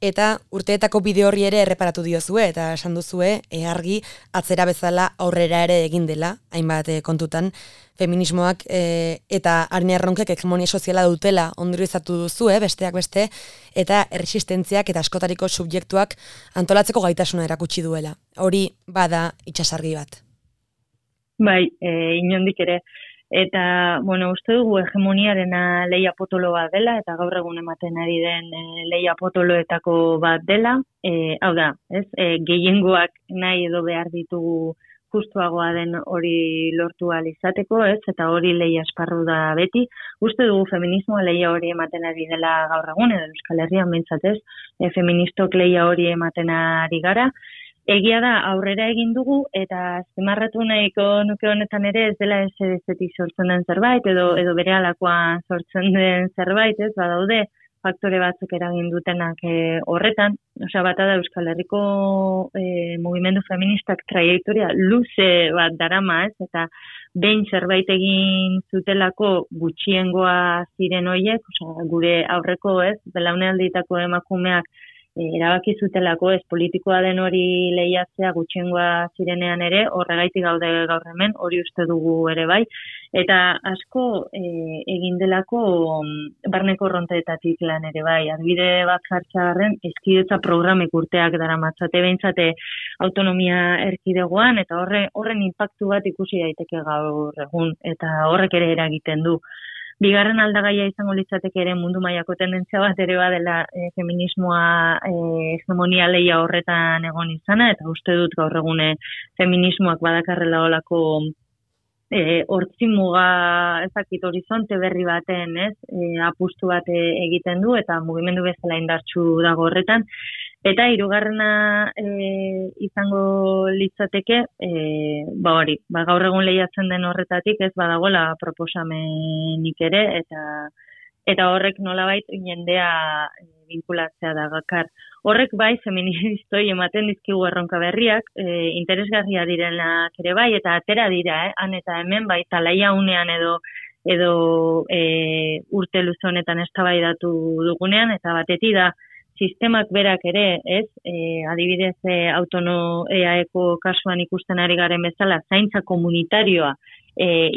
eta urteetako bide horri ere erreparatu diozue, eta esan duzue, argi atzera bezala aurrera ere egin dela, hainbat kontutan, feminismoak eta Arina Erronkek hegemonia soziala dutela ondorioztatu duzu, besteak beste, eta erresistentziak eta askotariko subjektuak antolatzeko gaitasuna erakutsi duela. Hori bada itsasargi bat. Bai, inondik ere. Eta, uste dugu hegemoniarena lehia potolo bat dela, eta gaur egun ematen ari den lehia potoloetako bat dela. Hau da, gehiengoak nahi edo behar ditugu justuagoa den hori lortu ahal izateko, eta hori lehia esparru da beti. Uste dugu feminismoa lehia hori ematen ari dela gaur egun, edo Euskal Herrian behintzat feministok lehia hori ematen ari gara. Egia da, aurrera egin dugu, eta azpimarratu nahiko nuke honetan ere ez dela ezetik sortzen den zerbait, edo bere alakoan sortzen den zerbait, badaude faktore batzuk eragin dutenak horretan, osea, bata da Euskal Herriko mugimendu feministak traiektoria luze bat darama, ez, eta behin zerbait egin zutelako gutxiengoa ziren hoiek, osea, gure aurreko, ez, belaunaldietako emakumeak erabaki zutelako, ez, politikoa den hori lehiatzea gutxiengoa zirenean ere, horregaitik gaude gaur hemen, hori uste dugu ere bai, eta asko egin delako barneko ronteetatik lan ere bai, adibide bat jartzearren, eskidetza programek urteak daramatzate behintzate autonomia erkidegoan, eta horren inpaktu bat ikusi daiteke gaur egun, eta horrek ere eragiten du. Bigarren aldagaia izango litzateke ere mundu mailako tendentzia bat ere badela feminismoa hegemonia lehia horretan egon izana, eta uste dut gaur egune feminismoak badakarrela olako hortzimuga ezakit horizonte berri baten, ez, apustu bat egiten du, eta mugimendu bezala indartsu dago horretan. Eta hirugarrena izango litzateke, gaur egun lehiatzen den horretatik ez badagoela proposamenik ere, eta horrek nolabait jendea vinkulatzea da gakar. Horrek bai feministoi ematen dizkigu erronka berriak, interesgarria direnak ere bai, eta atera dira, han eta hemen bai talaia unean edo urte luze honetan eztabaidatu dugunean, eta batetik da, sistemak berak ere, ez, adibidez EAEko kasuan ikusten ari garen bezala, zaintza komunitarioa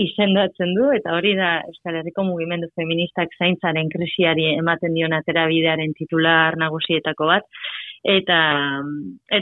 izendatzen du, eta hori da Euskal Herriko mugimendu feministak zaintzaren krisiari ematen dion aterabidearen titular nagusietako bat, eta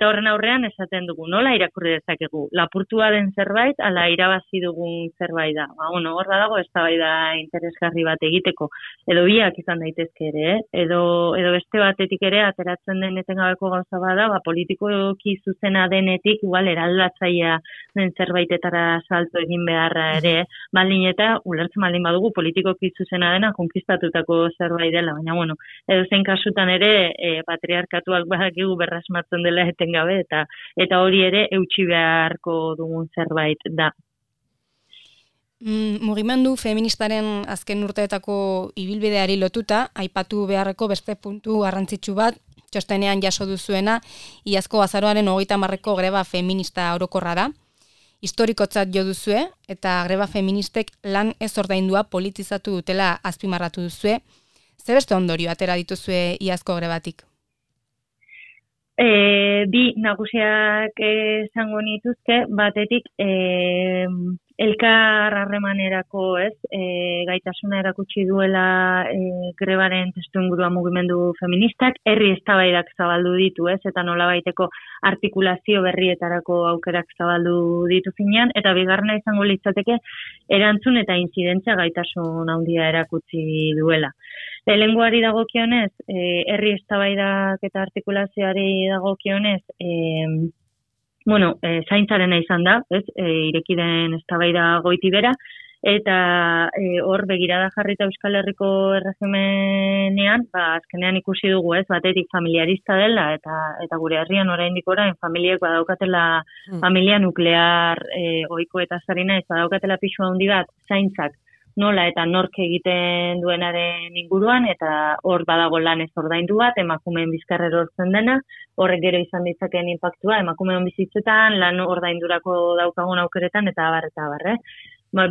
horren aurrean esaten dugu, nola irakurri dezakegu, lapurtua den zerbait, ala irabazi dugun zerbait da. Hor dago eztabaida interesgarri bat egiteko, edo biak izan daitezke ere, edo beste batetik ere ateratzen den etengabeko gauza bada, politikoki zuzena denetik, igual eraldatzailea den zerbaitetara salto egin beharra ere, baldin eta ulertzen baldin badugu politikoki zuzena dena konkistatutako zerbait dela, baina edo zein kasutan ere patriarkatuak badakigu berrasmatzen dela etengabe, eta hori ere eutsi beharko dugun zerbait da. Mugimendu feministaren azken urteetako ibilbideari lotuta, aipatu beharreko beste puntu garrantzitsu bat, txostenean jaso duzuena, iazko azaroaren 30ko greba feminista orokorra da. Historikotzat jo duzue, eta greba feministek lan ez ordaindua politizatu dutela azpimarratu duzue. Ze beste ondorio atera dituzue iazko grebatik? Bi nagusiak esango nituzke, batetik elkar harremanerako, ez, gaitasuna erakutsi duela grebaren testuingurua mugimendu feministak, herri eztabaidak zabaldu ditu, ez, eta nolabaiteko artikulazio berrietarako aukerak zabaldu ditu zinean, eta bigarrena izango litzateke erantzun eta intzidentzia gaitasun handia erakutsi duela. Lehengoari dagokionez, herri eztabaidak eta artikulazioari dagokionez, zaintzarena izan da, ez, ireki den eztabaida goiti bera, eta hor begirada jarrita Euskal Herriko erregimenean, azkenean ikusi dugu, ez, batetik familiarista dela, eta gure herrian oraindik orain familiek badaukatela familia nuklear ohiko eta zarina, ez badaukatela pisu handi bat zaintzak nola eta nork egiten duenaren inguruan, eta hor badago lan ez ordaindu bat, emakumeen bizkarrer hortzen dena, horrek gero izan ditzakeen inpaktua, emakumeen bizitzetan, lan ordaindurako daukagun aukeretan, eta abar.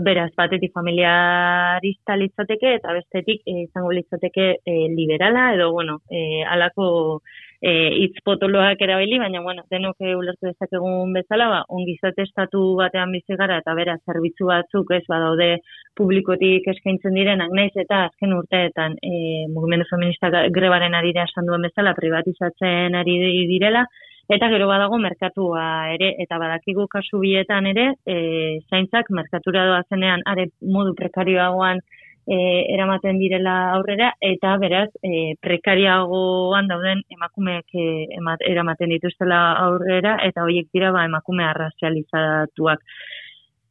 Beraz, batetik familiarista litzateke, eta bestetik izango litzateke liberala, edo, alako hitz potoloak erabili, baina, denok ulertu dezakegun bezala, ongizate estatu batean bizi gara, eta bera, zerbitzu batzuk ez badaude publikotik eskaintzen direnak, naiz eta azken urteetan mugimendu feminista grebaren arira esan duen bezala privatizatzen ari direla, eta gero badago merkatua ere, eta badakigu kasu bietan ere, zaintzak merkatura doazenean are modu prekarioagoan eramaten direla aurrera, eta beraz prekariagoan dauden emakumeek eramaten dituztela aurrera, eta horiek dira emakume arrazializatuak.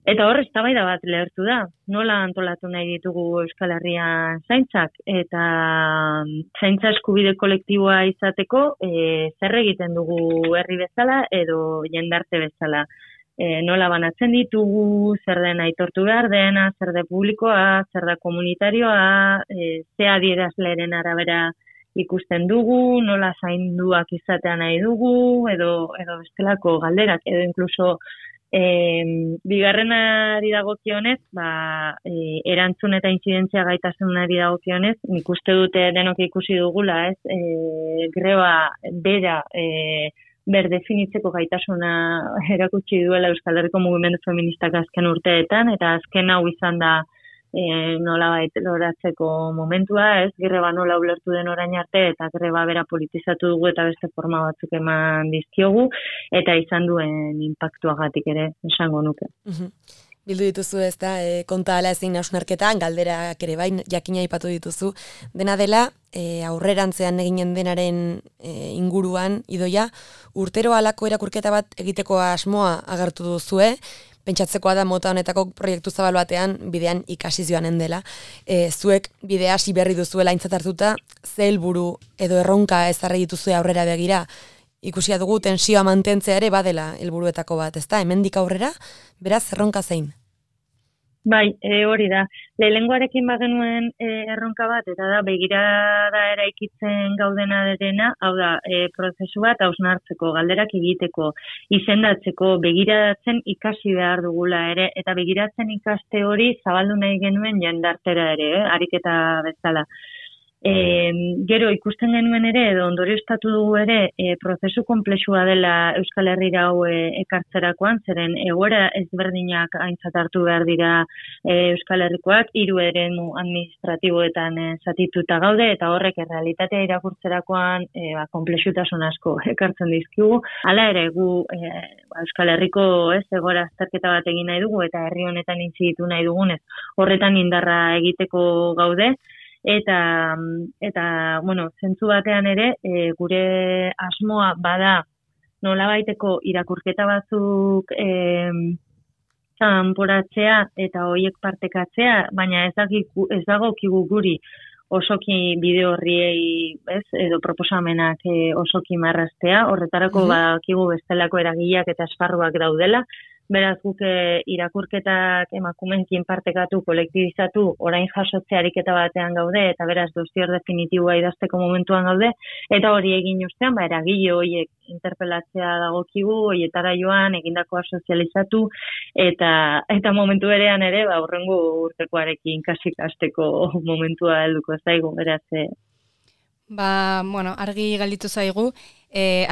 Eta hor eztabaida bat lehertu da, nola antolatu nahi ditugu Euskal Herrian zaintzak, eta zaintza eskubide kolektiboa izateko zer egiten dugu herri bezala edo jendarte bezala. Nola banatzen ditugu, zer den aitortu behar dena, zer da publikoa, zer da komunitarioa, ze adierazleren arabera ikusten dugu, nola zainduak izatea nahi dugu, edo bestelako galderak, edo inkluso bigarrenari dagokionez, erantzun eta intzidentzia gaitasunari dagokionez, nik uste dute denok ikusi dugula, ez, greba bera berdefinitzeko gaitasuna erakutsi duela Euskal Herriko mugimendu feministak azken urteetan, eta azken hau izan da nolabait loratzeko momentua, ez, greba nola ulertu den orain arte, eta greba bera politizatu dugu eta beste forma batzuk eman dizkiogu, eta izan duen inpaktuagatik ere esango nuke. Bildu dituzu ez da, konta ala ezin hausnarketa, galderak ere bain jakina aipatu dituzu. Dena dela, aurrerantzean eginen denaren inguruan, Idoia, urtero halako erakurketa bat egiteko asmoa agertu duzue, pentsatzekoa da mota honetako proiektu zabal batean bidean ikasi joanen dela. Zuek bidea hasi berri duzuela aintzat hartuta, ze helburu edo erronka ezarri dituzue aurrera begira, ikusia dugu tensioa mantentzea ere badela helburuetako bat, ezta? Hemendik aurrera, beraz erronka zein? Bai, hori da. Lehenengoarekin bagenuen erronka bat, eta da begirada eraikitzen gaudena derena, hau da, prozesu bat hausnartzeko, galderak egiteko, izendatzeko, begiratzen ikasi behar dugula ere, eta begiratzen ikaste hori zabaldu nahi genuen jendartera ere, ariketa bezala. Gero ikusten genuen ere, edo ondorioztatu dugu ere, prozesu konplexua dela Euskal Herrira hau ekartzerakoan, zeren egoera ezberdinak aintzat hartu behar dira Euskal Herrikoak, 3 eremu administratiboetan zatituta gaude, eta horrek errealitatea irakurtzerakoan konplexutasun asko ekartzen dizkigu. Hala ere, gu Euskal Herriko egoera azterketa bat egin nahi dugu, eta herri honetan intziditu nahi dugunez, horretan indarra egiteko gaude, Eta bueno, zentzu batean ere, gure asmoa bada nolabaiteko irakurketa batzuk kanporatzea eta horiek partekatzea, baina ez dagokigu guri osoki bide horriei, edo proposamenak osoki marraztea, horretarako badakigu bestelako eragileak eta esparruak daudela. Beraz, guk irakurketak emakumenkin partekatu, kolektibizatu, orain jasotze ariketa batean gaude, eta beraz, dozier definitiboa idazteko momentuan gaude, eta hori egin ustean, eragile horiek interpelatzea dagokigu, horietara joan, egindakoa sozializatu, eta momentu berean ere, hurrengo urtekoarekin kasik hasteko momentua helduko zaigu, beraz. Bueno, argi galditu zaigu,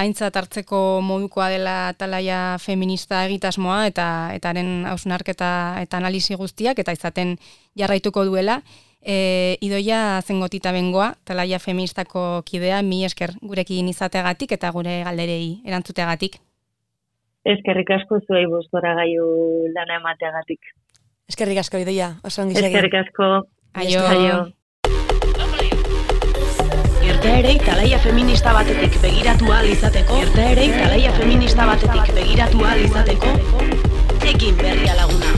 aintzat hartzeko modukoa dela Atalaia feminista egitasmoa eta haren hausnarketa eta analisi guztiak, eta izaten jarraituko duela. Idoia Zengotita bengoa, Atalaia feministako kidea, mi esker gurekin izateagatik eta gure galderei erantzuteagatik. Eskerrik asko zuei bostora gaiu lana emateagatik. Eskerrik asko, Idoia, oso ongi segi. Eskerrik asko. Aio. Irteerei talaia feminista batetik begiratu ahal izateko, egin berria laguna.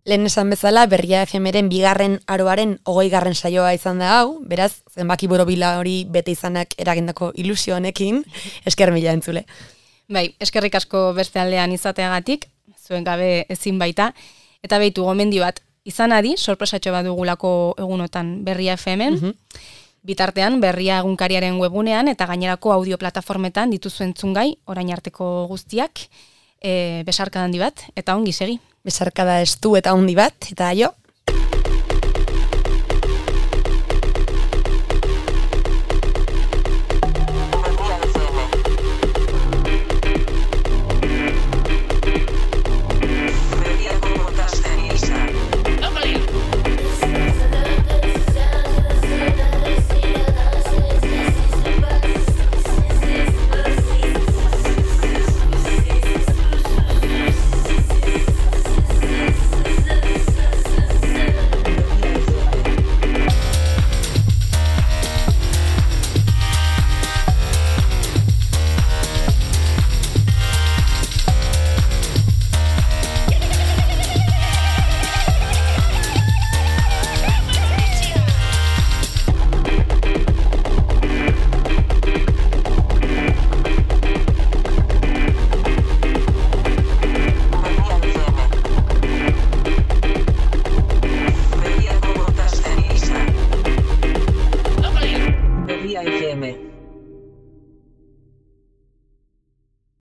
Lehen esan bezala, Berria FM-ren bigarren aroaren 20. saioa izan da hau, beraz, zenbaki borobila hori bete izanak eragindako ilusio honekin, esker mila entzule. Bai, eskerrik asko beste aldean izateagatik, zuen gabe ezin baita, eta behitu gomendio bat, izan adi, sorpresatxo bat dugulako egunotan Berria FM-en, bitartean Berria egunkariaren webunean eta gainerako audioplatformetan dituzu entzungai, orain arteko guztiak, besarkada handi bat, eta ongi segi. Besarkada estu eta handi bat, eta aio.